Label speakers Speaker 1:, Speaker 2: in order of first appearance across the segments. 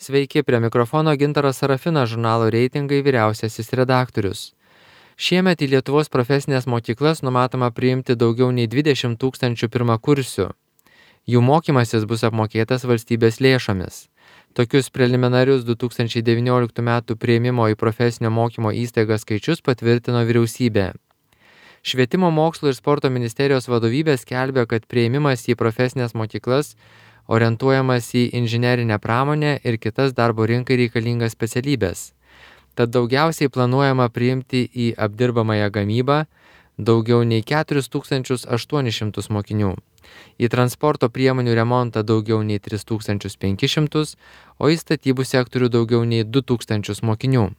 Speaker 1: Sveiki, prie mikrofono Gintaras Sarafinas, žurnalo Reitingai vyriausiasis redaktorius. Šiemet į Lietuvos profesinės mokyklas numatoma priimti daugiau nei 20 000 pirmakursių. Jų mokymasis bus apmokėtas valstybės lėšomis. Tokius preliminarius 2019 m. priėmimo į profesinio mokymo įstaigas skaičius patvirtino vyriausybė. Švietimo mokslo ir sporto ministerijos vadovybė skelbia, kad priėmimas į profesinės mokyklas orientuojamas į inžinerinę pramonę ir kitas darbo rinkai reikalingas specialybės. Tad daugiausiai planuojama priimti į apdirbamąją gamybą daugiau nei 4800 mokinių, į transporto priemonių remontą daugiau nei 3500, o į statybų sektorių daugiau nei 2000 mokinių.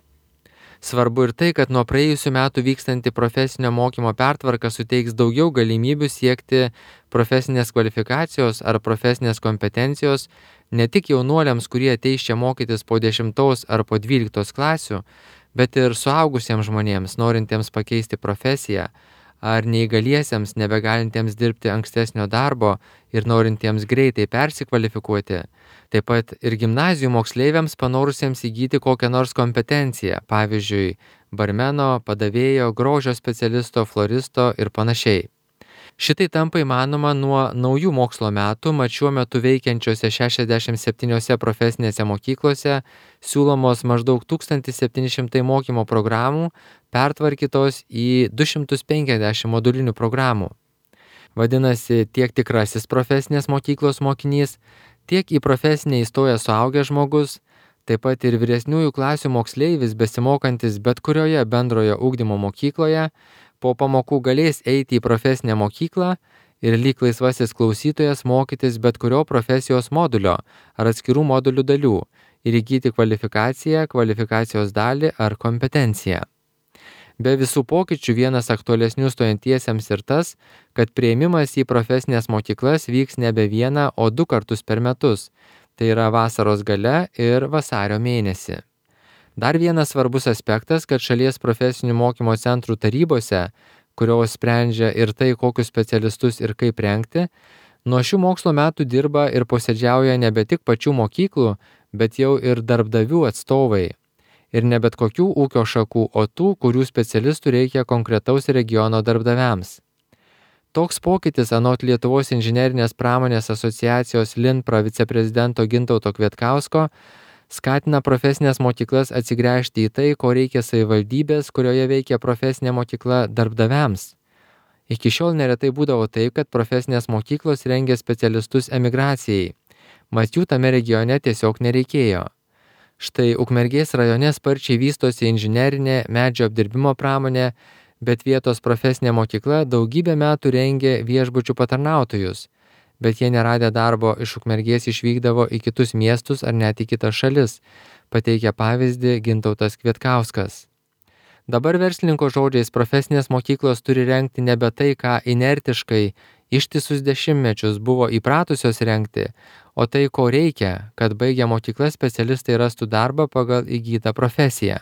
Speaker 1: Svarbu ir tai, kad nuo praėjusių metų vykstanti profesinio mokymo pertvarka suteiks daugiau galimybių siekti profesinės kvalifikacijos ar profesinės kompetencijos ne tik jaunuoliams, kurie ateis čia mokytis po 10 ar po 12 klasių, bet ir suaugusiems žmonėms, norintiems pakeisti profesiją, ar neįgaliesiems, nebegalintiems dirbti ankstesnio darbo ir norintiems greitai persikvalifikuoti, taip pat ir gimnazijų moksleiviams panorusiems įgyti kokią nors kompetenciją, pavyzdžiui, barmeno, padavėjo, grožio specialisto, floristo ir panašiai. Šitai tampa įmanoma nuo naujų mokslo metų, mat šiuo metu veikiančiose 67 profesinėse mokyklose siūlomos maždaug 1700 mokymo programų pertvarkytos į 250 modulinių programų. Vadinasi, tiek tikrasis profesinės mokyklos mokinys, tiek į profesinę įstojęs suaugęs žmogus, taip pat ir vyresniųjų klasių moksleivis besimokantis bet kurioje bendrojo ugdymo mokykloje, po pamokų galės eiti į profesinę mokyklą ir lyg laisvasis klausytojas mokytis bet kurio profesijos modulio ar atskirų modulių dalių ir įgyti kvalifikaciją, kvalifikacijos dalį ar kompetenciją. Be visų pokyčių vienas aktualesnių stojantiesiems ir tas, kad priėmimas į profesinės mokyklas vyks nebe vieną, o 2 kartus per metus, tai yra vasaros gale ir vasario mėnesį. Dar vienas svarbus aspektas, kad šalies profesinių mokymo centrų tarybose, kurios sprendžia ir tai, kokius specialistus ir kaip rengti, nuo šių mokslo metų dirba ir posėdžiauja nebe tik pačių mokyklų, bet jau ir darbdavių atstovai. Ir ne bet kokių ūkio šakų, o tų, kurių specialistų reikia konkretaus regiono darbdaviams. Toks pokytis anot Lietuvos inžinerinės pramonės asociacijos LINPRA viceprezidento Gintauto Kvietkausko skatina profesinės mokyklas atsigręžti į tai, ko reikia savivaldybės, kurioje veikia profesinė mokykla darbdaviams. Iki šiol neretai būdavo taip, kad profesinės mokyklos rengia specialistus emigracijai, mat jų tame regione tiesiog nereikėjo. Štai Ukmergės rajone sparčiai vystosi inžinerinė medžio apdirbimo pramonė, bet vietos profesinė mokykla daugybę metų rengė viešbučių patarnautojus, bet jie neradę darbo iš Ukmergės išvykdavo į kitus miestus ar net į kitas šalis, pateikia pavyzdį Gintautas Kvietkauskas. Dabar verslininko žodžiais profesinės mokyklos turi rengti nebe tai, ką inertiškai ištisus dešimtmečius buvo įpratusios rengti, o tai, ko reikia, kad baigę mokyklas specialistai rastų darbą pagal įgytą profesiją.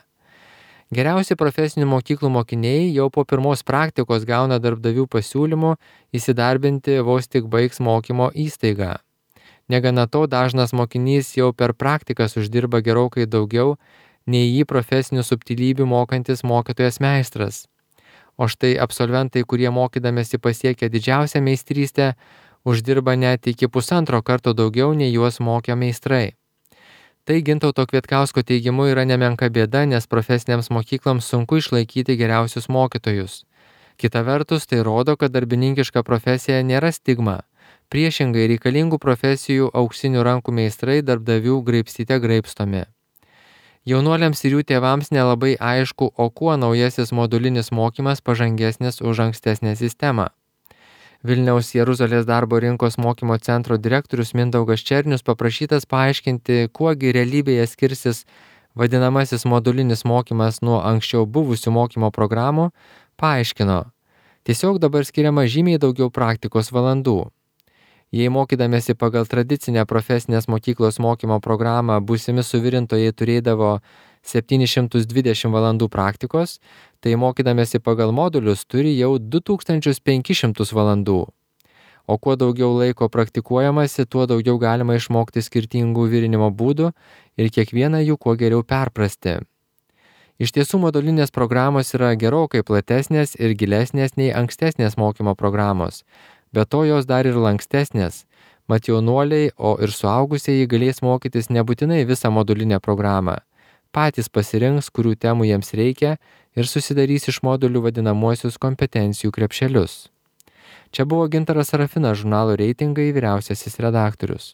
Speaker 1: Geriausi profesinių mokyklų mokiniai jau po pirmos praktikos gauna darbdavių pasiūlymų įsidarbinti vos tik baigs mokymo įstaigą. Negana to, dažnas mokinys jau per praktikas uždirba gerokai daugiau nei jį profesinių subtilybių mokantis mokytojas meistras. O štai absolventai, kurie mokydamėsi pasiekia didžiausią meistrystę, uždirba net iki 1,5 karto daugiau nei juos mokė meistrai. Tai Gintauto Kvietkausko teigimu yra nemenka bėda, nes profesinėms mokykloms sunku išlaikyti geriausius mokytojus. Kita vertus, tai rodo, kad darbininkiška profesija nėra stigma. Priešingai, reikalingų profesijų auksinių rankų meistrai darbdavių graibstyte graibstomi. Jaunuoliams ir jų tėvams nelabai aišku, o kuo naujasis modulinis mokymas pažangesnis už ankstesnę sistemą. Vilniaus Jeruzalės darbo rinkos mokymo centro direktorius Mindaugas Černius paprašytas paaiškinti, kuogi realybėje skirsis vadinamasis modulinis mokymas nuo anksčiau buvusių mokymo programų, paaiškino. Tiesiog dabar skiriama žymiai daugiau praktikos valandų. Jei mokydamėsi pagal tradicinę profesinės mokyklos mokymo programą būsimi suvirintojai turėdavo 720 valandų praktikos, tai mokydamėsi pagal modulius turi jau 2500 valandų. o kuo daugiau laiko praktikuojamasi, tuo daugiau galima išmokti skirtingų virinimo būdų ir kiekvieną jų kuo geriau perprasti. Iš tiesų modulinės programos yra gerokai platesnės ir gilesnės nei ankstesnės mokymo programos, be to jos dar ir lankstesnės, mat jaunuoliai, o ir suaugusieji galės mokytis nebūtinai visą modulinę programą. Patys pasirinks, kurių temų jiems reikia ir susidarys iš modulių vadinamuosius kompetencijų krepšelius. Čia buvo Gintaras Sarafinas, žurnalo Reitingai vyriausiasis redaktorius.